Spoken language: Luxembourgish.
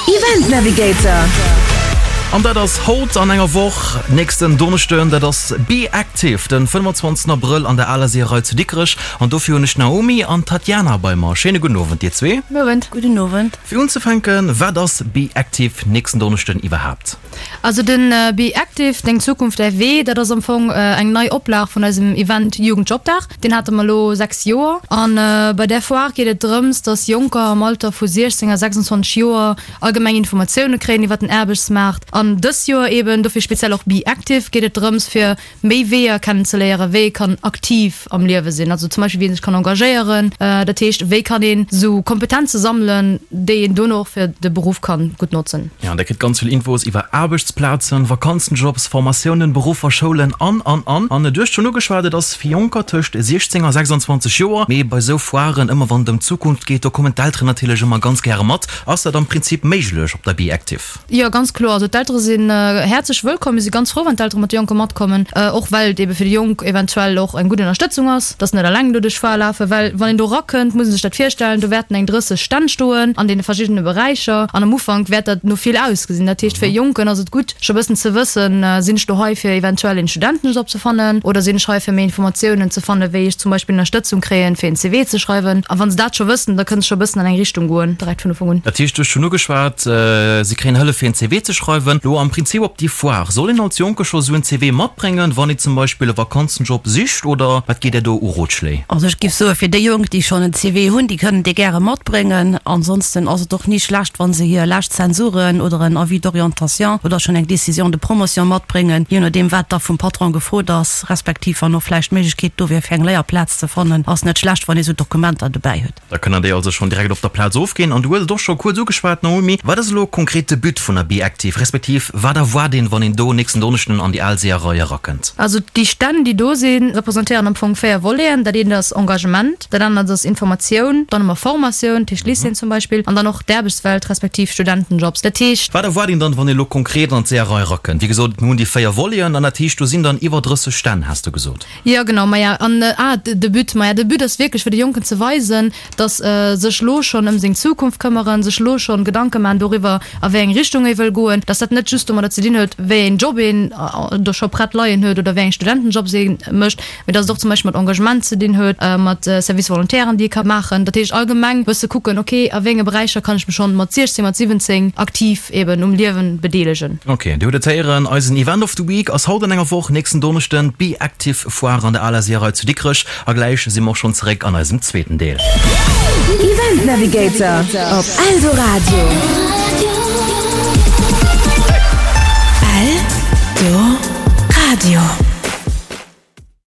Event Navigator. An dat ass haut an enger Woch, nächsten Donneschden, dat ass Be Active, den 25 Abrëll an der Aler Seeërei zu Dikrech. An dofir hunn ech d'Naomi an d'Tatjana bei mer. Schéine gudden Owend dir zwee. Owend. Gudden Owend. Fir unzefänken, wat ass Be Active nächsten Donneschden iwwerhaapt? Also den Be Active, Deng Zukunft, däi Wee, dat ass am Fong eng nei Oplag vun eisem Event Jugendjobdag. Deen hate mer elo 6 Joer. An bei där Foire geet et drëms, dass Jonker am Alter vu 16 a 26 Joer allgemeng Informatioune kréien iwwer den Aarbechtsmaart. An dës Joer eben, dofir speziell och Be Active, geet et drëms fir méi Weeër kennenzeléieren, wéi ee kann aktiv am Liewe sinn, also zum Beispill wéi ee sech kann engagéieren, dat heescht wéi kann een esou Kompetenze sammelen, déi een dono och fir de Beruff kann gutt notzen. Jo, an der kritt ganz vill Infos iwwer Aarbechtsplazen, Vakanzenjobs, Formatiounen, Beruffer, Schoulen an, an, an. An du hues schonn ugeschwat, et ass fir Jonker tëscht 16 a 26 Joer, mee bei esou Foiren, ëmmer wann et ëm d'Zukunft geet, do kommen d'Elteren natierlech ëmmer ganz gäre mat. Ass dat am Prinzip méiglech op der Be Active? Jo, ganz kloer. Also d'Eltere sinn häerzlech wëllkomm. Mir si ganz frou, wann d'Eltere mat de Jonke matkommen, och well et ebe fir déi Jonk eventuell och eng gutt Ënnerstëtzung ass, dass se net eleng do duerch d'Foire lafen. Well wann een do erakënnt, muss ee sech dat virstellen, do wäerten eng 30 Stänn stoen an deene verschiddene Beräicher an am Ufank wäert dat no vill ausgesinn. Dat heescht, fir e Jonken ass et gutt, scho bëssen ze wëssen, Sinn ech do hei fir eventuell een Studentenjob ze fannen oder sinn ech hei fir méi Informatiounen ze fannen, wéi ech zum Beispill Ënnerstëtzung kréien, fir een CV ze schreiwen? A wa se dat scho wëssen, da kënne se scho e bëssen an eng Richtung goen, direkt vun Ufank un. Dat heescht, du hues schonn ugeschwat, si kréien Hëllef fir een CV ze schreiwen. Lo am Prinzip op déi Foire, soll een als Jonke scho sou en CV matbréngen, wann ee zum Beispill e Vakanzenjob sicht oder wat gitt Där do u Rotschléi? Also ech giff soe fir déi Jonk, déi schonn en CV hunn, déi kënnen dee gäre matbréngen. Ansonsten ass et och ni schlecht, wa se hir lescht Zensuren oder en Avis d'orientation oder schonn eng Décision de promotion matbréngen, je nodeem wat da vum Patron gefrot ass, respektiv wann och vläicht d'Méiglechkeet do wier fir eng Léierplaz ze fannen, ass net schlecht, wann ee sou Dokumenter dobäi huet. Da kënnen déi also schonn direkt op der Plaz ofginn. An du hues et och scho kuerz ugeschwat, Naomi, Wat ass elo konkret de But vun der Be-Active, respektiv wat erwaart een, wann een do nächsten Donneschden an déi al Seeërei erakënnt? Also déi Stänn, déi do sinn, representéieren am Fong 4 Voleten. Dat eent ass Engagement, dat anert ass Informatioun, dann hu mer Formatioun, dat heescht Lycéeën zum Beispill, an dann och d'Aarbechtswelt respektiv Studentenjobs. Dat heescht. Wat erwaart een dann, wann ee lo konkret an d'Seeërei erakënnt? Wéi gesot, mir hunn déi 4 Voleten an dat heescht, do sinn dann iwwer 30 Stänn, has de gesot. Jo genau, maja an ah de But, maja de But ass wierklech fir de Jonken ze weisen, datt sech lo schonn ëm seng Zukunft këmmeren, sech lo schonn Gedanke maachen doriwwer a wéi eng Richtung ee wëll goen, datt dat net just domadder ze dinn huet wéi een Job een do scho prett leien huet oder wéi eng Studentenjobs ee mécht, mee datt et och zum Beispill mat Engagement ze dinn huet, mat Service volontairen déi ee ka maachen. Dat heescht allgemeng bësse kucken, ok a wéi enge Beräicher kann ech mech schonn mat 16, mat 17 aktiv eben um Liewen bedeelegen. Ok, Dir hutt et héieren, eisen Event of the Week ass haut an enger Woch, nächsten Donneschden, d'Be Active Foire an der Aler Seeërei zu Dikrech. A gläich si mer och schonn zeréck an eisem zweeten Deel. Event Navigator op Eldoradio. Eldoradio.